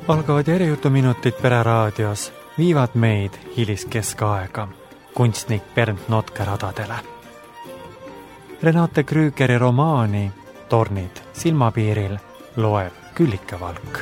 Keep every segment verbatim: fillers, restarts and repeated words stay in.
Algavad järjutuminutid Pereraadios viivad meid hiliskeskaega kunstnik Bernt Notke radadele. Renate Krügeri romaani Tornid silmapiiril loeb Küllike Valk.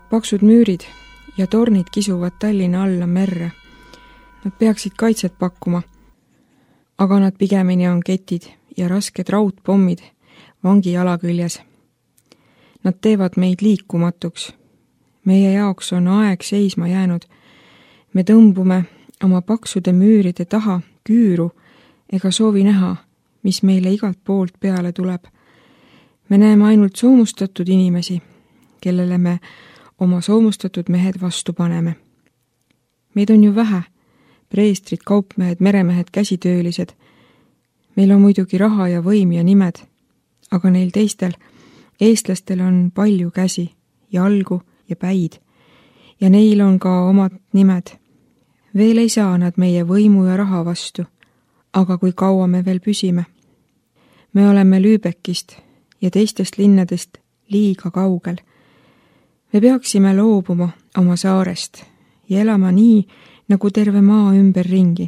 Paksud müürid ja tornid kisuvad Tallinna alla merre. Nad peaksid kaitset pakkuma, aga nad pigemini on ketid ja rasked raudpommid vangi jala küljes. Nad teevad meid liikumatuks. Meie jaoks on aeg seisma jäänud. Me tõmbume oma paksude müüride taha küüru ega soovi näha, mis meile igalt poolt peale tuleb. Me näeme ainult soomustatud inimesi, kellele me oma soomustatud mehed vastu paneme. Meid on ju vähe, preestrid, kaupmehed, meremehed, käsitöölised. Meil on muidugi raha ja võim ja nimed, aga neil teistel, eestlastel on palju käsi, jalgu ja päid, ja neil on ka omad nimed. Veel ei saa nad meie võimu ja raha vastu, aga kui kaua me veel püsime. Me oleme Lübeckist ja teistest linnadest liiga kaugel. Me peaksime loobuma oma saarest ja elama nii, nagu terve maa ümber ringi.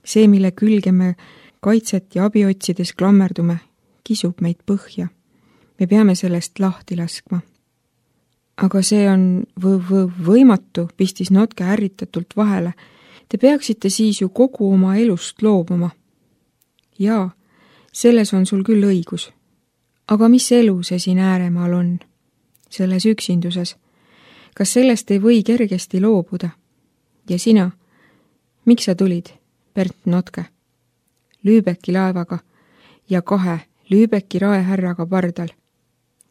See, mille külge me kaitset ja abi otsides klammerdume, kisub meid põhja. Me peame sellest lahti laskma. Aga see on võ- võ- võimatu, pistis Notke ärritatult vahele. Te peaksite siis ju kogu oma elust loobuma. Jaa, selles on sul küll õigus. Aga mis elu see siin ääremaal on? Selles üksinduses. Kas sellest ei või kergesti loobuda? Ja sina? Miks sa tulid, Bernt Notke? Lübecki laevaga ja kahe Lübecki raehärraga pardal.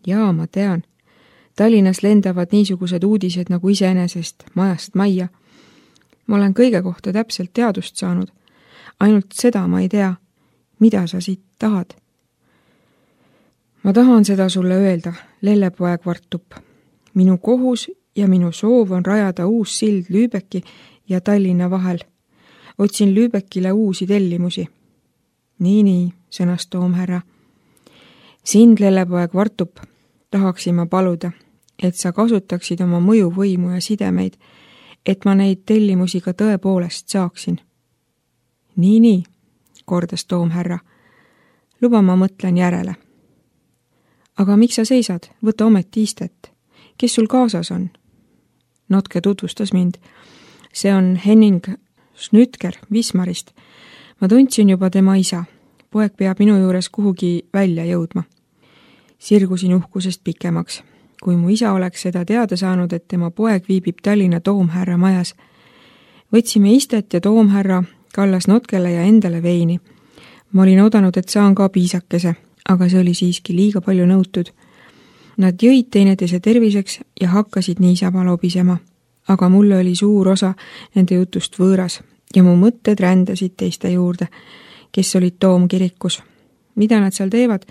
Jaa, ma tean. Tallinnas lendavad niisugused uudised nagu iseenesest majast majja. Ma olen kõige kohta täpselt teadust saanud. Ainult seda ma ei tea, mida sa siit tahad. Ma tahan seda sulle öelda, Lellepoeg Vartup. Minu kohus ja minu soov on rajada uus sild Lübecki ja Tallinna vahel. Otsin Lübeckile uusi tellimusi. Nii, nii, sõnas toomherra. Sind, Lellepoeg Vartup, tahaksin ma paluda, et sa kasutaksid oma mõjuvõimu ja sidemeid, et ma neid tellimusi ka tõepoolest saaksin. Nii, nii, kordas toomherra. Luba ma mõtlen järele. Aga miks sa seisad? Võta ometi istet. Kes sul kaasas on? Notke tutvustas mind. See on Henning Schnütker Wismarist. Ma tundsin juba tema isa. Poeg peab minu juures kuhugi välja jõudma. Sirgusin uhkusest pikemaks. Kui mu isa oleks seda teada saanud, et tema poeg viibib Tallinna toomherra majas. Võtsime istet ja toomherra kallas Notkele ja endale veini. Ma olin oodanud, et saan ka piisakese, aga see oli siiski liiga palju nõutud. Nad jõid teineteise terviseks ja hakkasid niisama lobisema, aga mulle oli suur osa nende jutust võõras ja mu mõtted rändasid teiste juurde, kes olid toomkirikus. Mida nad seal teevad?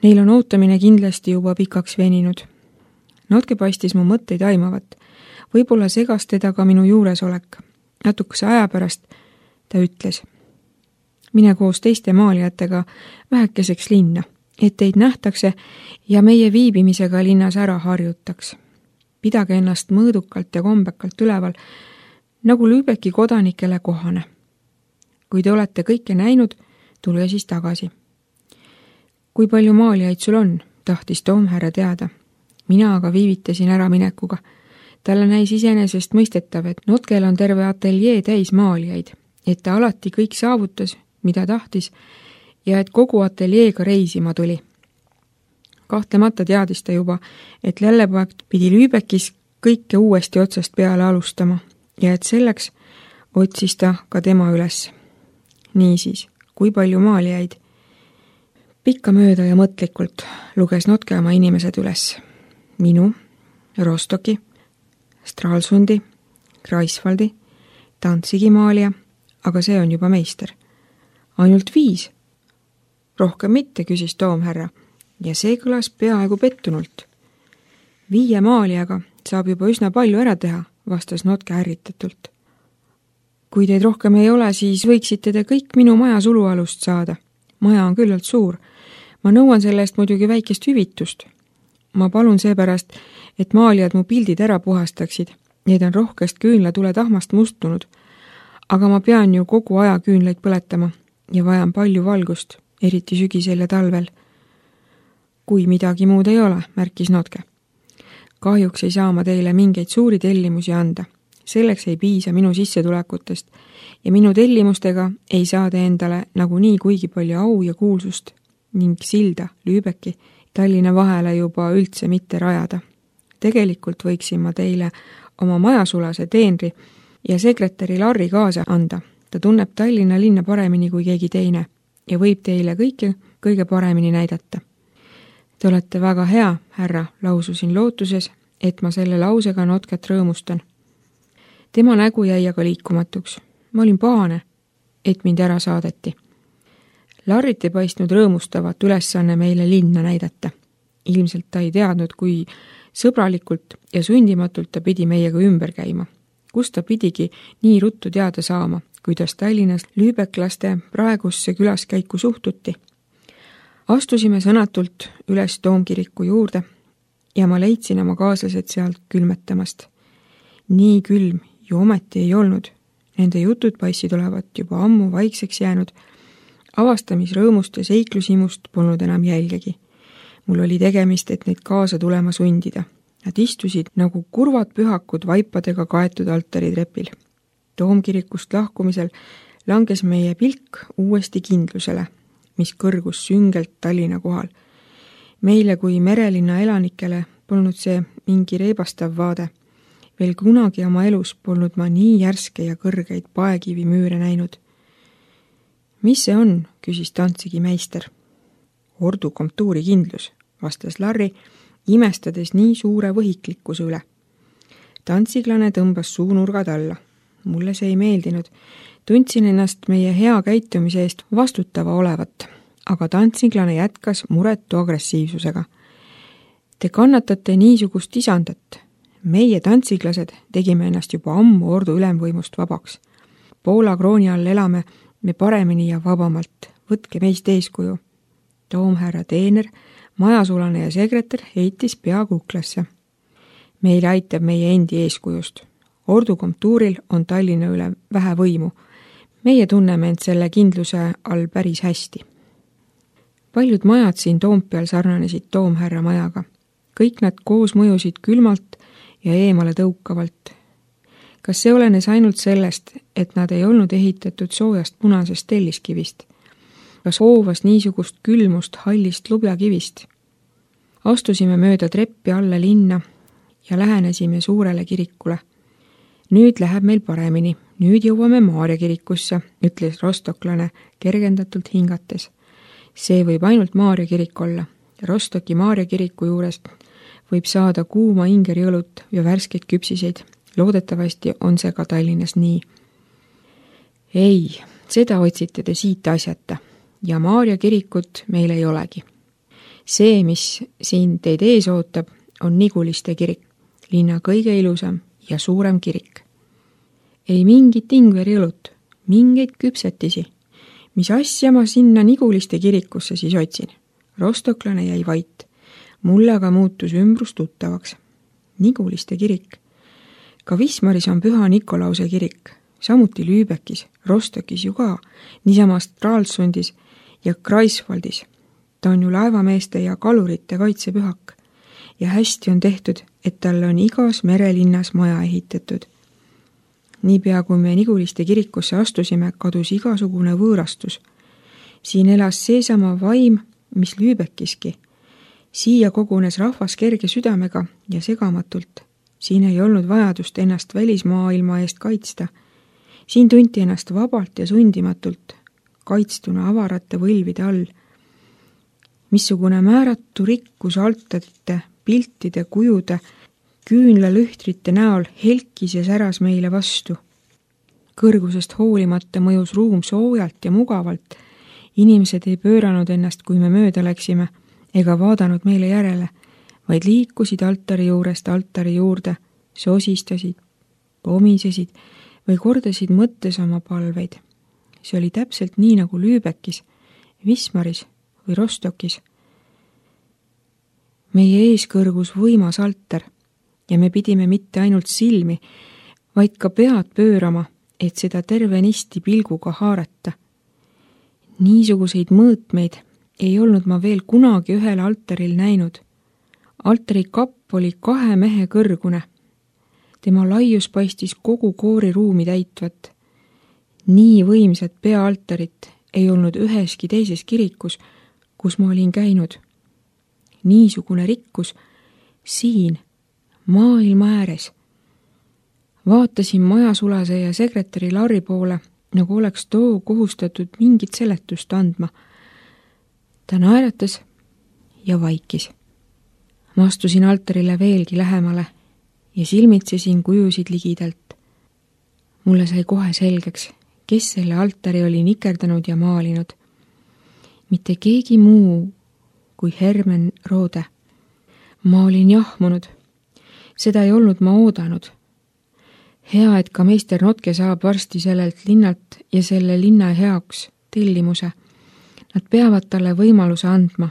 Neil on ootamine kindlasti juba pikaks veninud. Notke paistis mu mõtteid aimavat. Võib-olla segas teda ka minu juuresolek. Natukese aja pärast ta ütles: mine koos teiste maalijatega vähekeseks linna, et teid nähtakse ja meie viibimisega linnas ära harjutaks. Pidage ennast mõõdukalt ja kombekalt üleval, nagu Lübecki kodanikele kohane. Kui te olete kõike näinud, tulge siis tagasi. Kui palju maalijaid sul on, tahtis toomherra teada. Mina aga viivitasin ära minekuga. Talle näis iseenesest mõistetav, et Notkel on terve ateljee täis maalijaid, et ta alati kõik saavutas, mida tahtis, ja et kogu ateljeega reisima tuli. Kahtlemata teadis ta juba, et Lellepoeg pidi Lübeckis kõike uuesti otsast peale alustama ja et selleks otsis ta ka tema üles. Niisiis, kui palju maalijaid? Pikkamööda ja mõtlikult luges Notke oma inimesed üles. Minu, Rostoki, Stralsundi, Greifswaldi, Danzigi maalija, aga see on juba meister. Ainult viis. Rohkem mitte, küsis toomherra, ja see kõlas peaaegu pettunult. Viie maalijaga saab juba üsna palju ära teha, vastas Notke ärritatult. Kui teid rohkem ei ole, siis võiksite te kõik minu maja sulualust saada. Maja on küllalt suur. Ma nõuan selle eest muidugi väikest hüvitust. Ma palun seepärast, et maalijad mu pildid ära puhastaksid. Need on rohkest küünlatule tahmast mustunud. Aga ma pean ju kogu aja küünlaid põletama ja vajan palju valgust, eriti sügisel ja talvel. Kui midagi muud ei ole, märkis Notke. Kahjuks ei saa ma teile mingeid suuri tellimusi anda. Selleks ei piisa minu sissetulekutest ja minu tellimustega ei saa te endale nagunii kuigi palju au ja kuulsust ning silda Lübecki Tallinna vahele juba üldse mitte rajada. Tegelikult võiksin ma teile oma majasulase teenri ja sekretäri Larri kaasa anda. Ta tunneb Tallinna linna paremini kui keegi teine ja võib teile kõike kõige paremini näidata. Te olete väga hea, härra, laususin lootuses, et ma selle lausega Notket rõõmustan. Tema nägu jäi aga liikumatuks. Ma olin pahane, et mind ära saadeti. Larrit ei paistnud rõõmustavat ülesanne meile linna näidata. Ilmselt ta ei teadnud, kui sõbralikult ja sundimatult ta pidi meiega ümber käima. Kus ta pidigi nii ruttu teada saama, kuidas Tallinnas lüübeklaste praegusse külaskäiku suhtuti. Astusime sõnatult üles Toomkiriku juurde ja ma leidsin oma kaaslased sealt külmetamast. Nii külm ju ometi ei olnud. Nende jutud paissid olevat juba ammu vaikseks jäänud. Avastamisrõõmust ja seiklusimust polnud enam jälgegi. Mul oli tegemist, et neid kaasa tulema sundida. Nad istusid nagu kurvad pühakud vaipadega kaetud altaritrepil. Toomkirikust lahkumisel langes meie pilk uuesti kindlusele, mis kõrgus süngelt Tallinna kohal. Meile kui merelinna elanikele polnud see mingi reibastav vaade. Veel kunagi oma elus polnud ma nii järske ja kõrgeid paekivimüüre näinud. Mis see on, küsis Danzigi meister. Ordu komtuuri kindlus, vastas Larri, imestades nii suure võhiklikkuse üle. Danziglane tõmbas suunurgad alla. Mulle see ei meeldinud. Tundsin ennast meie hea käitumise eest vastutava olevat, aga Danziglane jätkas muretu agressiivsusega. Te kannatate niisugust isandat. Meie tantsiglased tegime ennast juba ammu ordu ülemvõimust vabaks. Poola krooni all elame me paremini ja vabamalt. Võtke meist eeskuju. Toomherra teener, majasulane ja sekretär heitis pea kuklasse. Meile aitab meie endi eeskujust. Ordu komtuuril on Tallinna üle vähe võimu. Meie tunneme end selle kindluse all päris hästi. Paljud majad siin Toompeal sarnanesid Toomherra majaga. Kõik nad koos mõjusid külmalt ja eemale tõukavalt. Kas see olenes ainult sellest, et nad ei olnud ehitatud soojast punasest telliskivist? Kas hoovas niisugust külmust hallist lubjakivist? Astusime mööda treppi alla linna ja lähenesime suurele kirikule. Nüüd läheb meil paremini. Nüüd jõuame Maarja kirikusse, ütles rostoklane kergendatult hingates. See võib ainult Maarja kirik olla. Rostoki Maarja kiriku juurest võib saada kuuma ingeriõlut ja värskeid küpsiseid. Loodetavasti on see ka Tallinnas nii. Ei, seda otsite te siit asjata ja Maarja kirikut meil ei olegi. See, mis siin teid ees ootab, on Niguliste kirik, linna kõige ilusam ja suurem kirik. Ei mingit ingeriõlut, mingeid küpsetisi. Mis asja ma sinna Niguliste kirikusse siis otsin? Rostoklane jäi vait. Mulle aga muutus ümbrus tuttavaks. Niguliste kirik. Ka Wismaris on Püha Nikolause kirik, samuti Lübeckis, Rostokis ju ka, niisama Stralsundis ja Greifswaldis. Ta on ju laevameeste ja kalurite kaitsepühak ja hästi on tehtud, et tal on igas merelinnas maja ehitatud. Niipea kui me Niguliste kirikusse astusime, kadus igasugune võõrastus. Siin elas seesama vaim, mis Lübeckiski. Siia kogunes rahvas kerge südamega ja segamatult. Siin ei olnud vajadust ennast välismaailma eest kaitsta. Siin tunti ennast vabalt ja sundimatult, kaitstuna avarate võlvide all. missugune määratu rikkus altarite, piltide, kujude, küünlalühtrite näol helkis ja säras meile vastu. Kõrgusest hoolimata mõjus ruum soojalt ja mugavalt. Inimesed ei pööranud ennast, kui me mööda läksime, ega vaadanud meile järele, vaid liikusid altari juurest altari juurde, sosistasid, pomisesid või kordasid mõttes oma palveid. See oli täpselt nii nagu Lübeckis, Wismaris või Rostokis. Meie ees kõrgus võimas altar ja me pidime mitte ainult silmi, vaid ka pead pöörama, et seda tervenisti pilguga haarata. Niisuguseid mõõtmeid ei olnud ma veel kunagi ühel altaril näinud. Altari kapp oli kahe mehe kõrgune. Tema laius paistis kogu kooriruumi täitvat. Nii võimsat peaaltarit ei olnud üheski teises kirikus, kus ma olin käinud. Niisugune rikkus siin, maailma ääres. Vaatasin majasulase ja sekretäri Larri poole, nagu oleks too kohustatud mingit seletust andma. Ta naeratas ja vaikis. Ma astusin altarile veelgi lähemale ja silmitsesin kujusid ligidalt. Mulle sai kohe selgeks, kes selle altari oli nikerdanud ja maalinud. Mitte keegi muu kui Hermen Roode. Ma olin jahmunud. Seda ei olnud ma oodanud. Hea, et ka meister Notke saab varsti sellelt linnalt ja selle linna heaks tellimuse. Nad peavad talle võimaluse andma.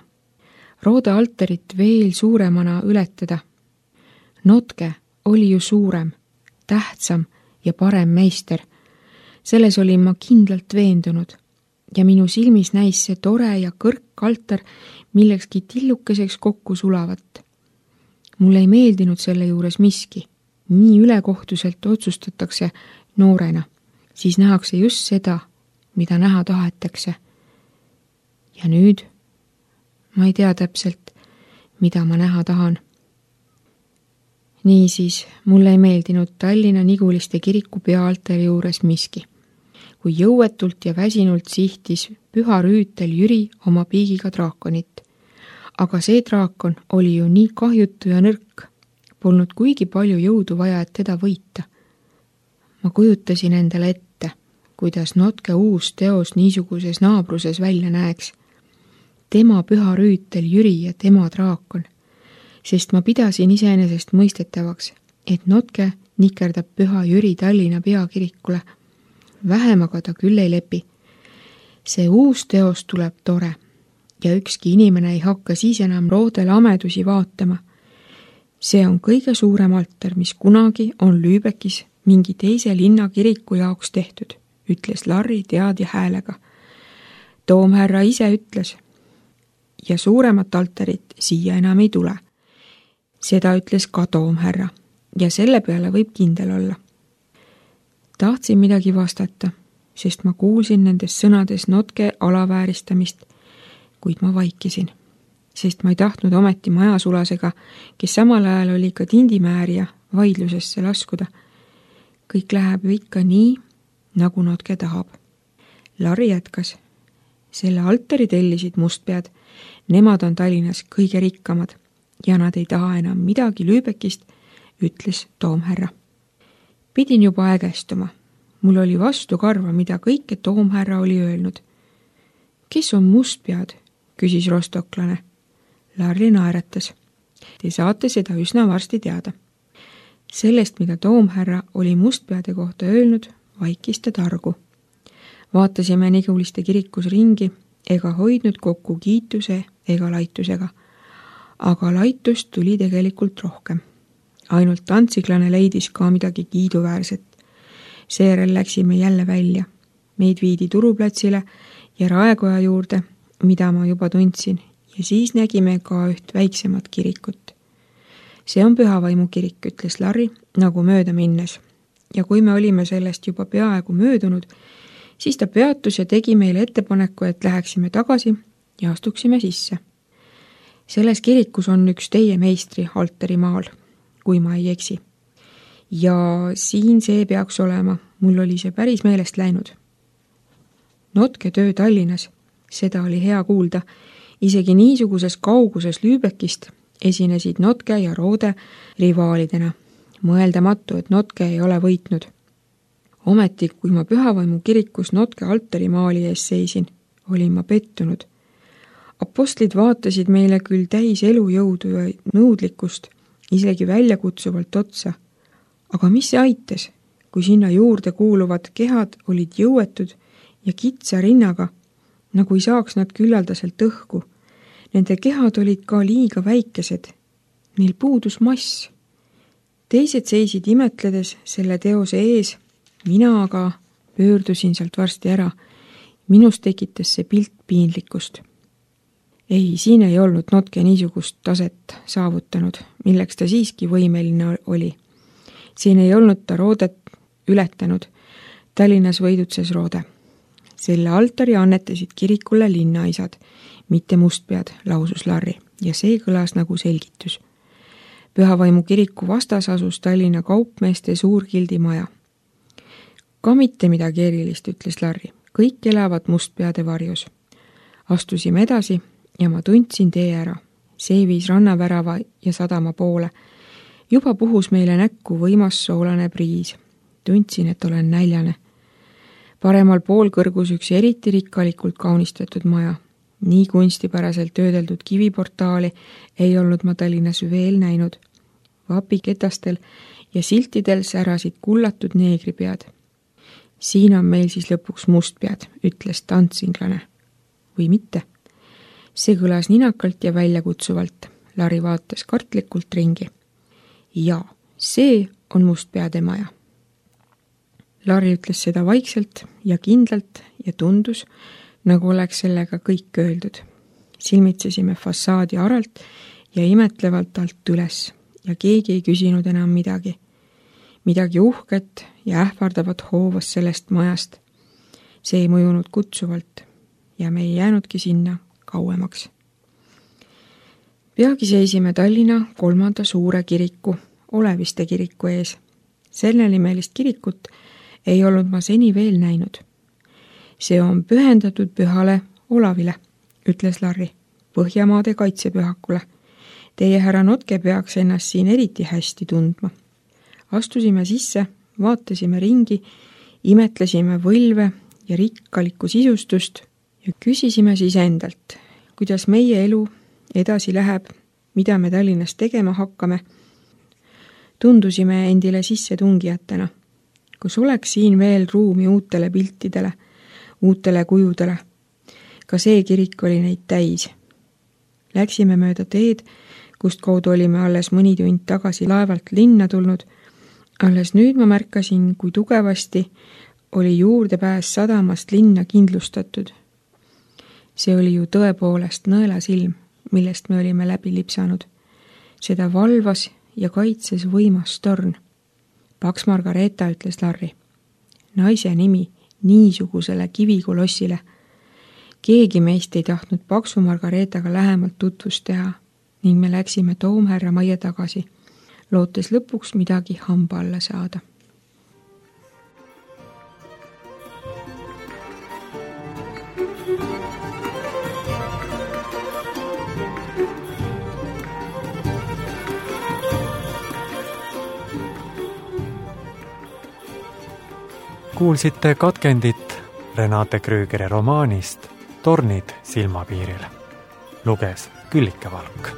Roode altarit veel suuremana ületada. Notke oli ju suurem, tähtsam ja parem meister. Selles olin ma kindlalt veendunud ja minu silmis näis see tore ja kõrk altar millekski tillukeseks kokku sulavat. Mulle ei meeldinud selle juures miski. Nii ülekohtuselt otsustatakse noorena, siis nähakse just seda, mida näha tahetakse. Ja nüüd ma ei tea täpselt, mida ma näha tahan. Niisiis, mulle ei meeldinud Tallinna Niguliste kiriku peaaltari juures miski. Kui jõuetult ja väsinult sihtis püha rüütel Jüri oma piigiga draakonit. Aga see draakon oli ju nii kahjutu ja nõrk. Polnud kuigi palju jõudu vaja, et teda võita. Ma kujutasin endale ette, kuidas Notke uus teos niisuguses naabruses välja näeks. Tema püha rüütel Jüri ja tema draakon, sest ma pidasin iseenesest mõistetavaks, et Notke nikerdab püha Jüri Tallinna peakirikule. Vähem aga ta küll ei lepi. See uus teos tuleb tore ja ükski inimene ei hakka siis enam Roodele amedusi vaatama. See on kõige suurem altar, mis kunagi on Lübeckis mingi teise linna kiriku jaoks tehtud, ütles Larri teadja häälega. Toomherra ise ütles. Ja suuremat altarit siia enam ei tule. Seda ütles ka toomherra ja selle peale võib kindel olla. Tahtsin midagi vastata, sest ma kuulsin nendes sõnades Notke alavääristamist, kuid ma vaikisin. Sest ma ei tahtnud ometi majasulasega, kes samal ajal oli ka tindimäärija, vaidlusesse laskuda. Kõik läheb ju ikka nii, nagu Notke tahab. Larri jätkas. Selle altari tellisid mustpead. Nemad on Tallinnas kõige rikkamad ja nad ei taha enam midagi Lübeckist, ütles toomherra. Pidin juba ägestuma. Mul oli vastu karva, mida kõike toomherra oli öelnud. Kes on mustpead, küsis rostoklane. Larri naeratas. Te saate seda üsna varsti teada. Sellest, mida toomherra oli mustpeade kohta öelnud, vaikis ta targu. Vaatasime Niguliste kirikus ringi ega hoidnud kokku kiituse ega laitusega. Aga laitust tuli tegelikult rohkem. Ainult tantsiklane leidis ka midagi kiiduväärset. Seejärel läksime jälle välja. Meid viidi turuplatsile ja Raekoja juurde, mida ma juba tundsin, ja siis nägime ka üht väiksemat kirikut. See on Pühavaimu kirik, ütles Larri, nagu mööda minnes. Ja kui me olime sellest juba peaaegu möödunud, siis ta peatus ja tegi meile ettepaneku, et läheksime tagasi ja astuksime sisse. Selles kirikus on üks teie meistri altarimaal, kui ma ei eksi. Ja siin see peaks olema, mul oli see päris meelest läinud. Notke töö Tallinnas, seda oli hea kuulda, isegi niisuguses kauguses Lübeckist esinesid Notke ja Roode rivaalidena. Mõeldamatu, et Notke ei ole võitnud. Ometi, kui ma Pühavaimu kirikus Notke altarimaali ees seisin, olin ma pettunud. Apostlid vaatasid meile küll täis elujõudu ja nõudlikkust, isegi väljakutsuvalt otsa. Aga mis see aitas, kui sinna juurde kuuluvad kehad olid jõuetud ja kitsa rinnaga, nagu ei saaks nad küllaldaselt õhku. Nende kehad olid ka liiga väikesed. Neil puudus mass. Teised seisid imetledes selle teose ees, mina aga pöördusin sealt varsti ära. Minust tekitas see pilt piinlikkust. Ei, siin ei olnud Notke niisugust taset saavutanud, milleks ta siiski võimeline oli. Siin ei olnud ta Roodet ületanud. Tallinnas võidutses Roode. Selle altari annetasid kirikule linnaisad, mitte mustpead, lausus Larri, ja see kõlas nagu selgitus. Pühavaimu kiriku vastas asus Tallinna kaupmeeste suurgildi maja. Ka mitte midagi erilist, ütles Larri. Kõik elavad mustpeade varjus. Astusime edasi ja ma tundsin tee ära. See viis rannavärava ja sadama poole. Juba puhus meile näkku võimas soolane priis. Tundsin, et olen näljane. Paremal pool kõrgus üks eriti rikkalikult kaunistatud maja. Nii kunstipäraselt töödeldud kiviportaali ei olnud ma Tallinnas veel näinud. Vapiketastel ja siltidel särasid kullatud neegripead. Siin on meil siis lõpuks mustpead, ütles tantsinglane. Või mitte? See kõlas ninakalt ja väljakutsuvalt. Larri vaatas kartlikult ringi. Ja, see on mustpeade maja. Larri ütles seda vaikselt ja kindlalt ja tundus, nagu oleks sellega kõik öeldud. Silmitsesime fassaadi aralt ja imetlevalt alt üles ja keegi ei küsinud enam midagi. Midagi uhket ja ähvardavat hoovas sellest majast. See ei mõjunud kutsuvalt ja me ei jäänudki sinna kauemaks. Peagi seisime Tallinna kolmanda suure kiriku, Oleviste kiriku ees. Selle nimelist kirikut ei olnud ma seni veel näinud. See on pühendatud pühale Olavile, ütles Larri, Põhjamaade kaitsepühakule. Teie härra Notke peaks ennast siin eriti hästi tundma. Astusime sisse, vaatasime ringi, imetlesime võlve ja rikkalikku sisustust ja küsisime siis endalt, kuidas meie elu edasi läheb, mida me Tallinnas tegema hakkame. Tundusime endile sisse tungijatena. Kus oleks siin veel ruumi uutele piltidele, uutele kujudele. Ka see kirik oli neid täis. Läksime mööda teed, kust kaudu olime alles mõni tund tagasi laevalt linna tulnud. Alles nüüd ma märkasin, kui tugevasti oli juurdepääs sadamast linna kindlustatud. See oli ju tõepoolest nõelasilm, millest me olime läbi lipsanud. Seda valvas ja kaitses võimas torn. Paks Margareeta, ütles Larri. Naise nimi niisugusele kivikolossile. Keegi meist ei tahtnud Paksu Margareetaga lähemalt tutvust teha ning me läksime toomherra majja tagasi, lootes lõpuks midagi hamba alla saada. Kuulsite katkendit Renate Krügeri romaanist Tornid silmapiiril. Luges Küllike Valk.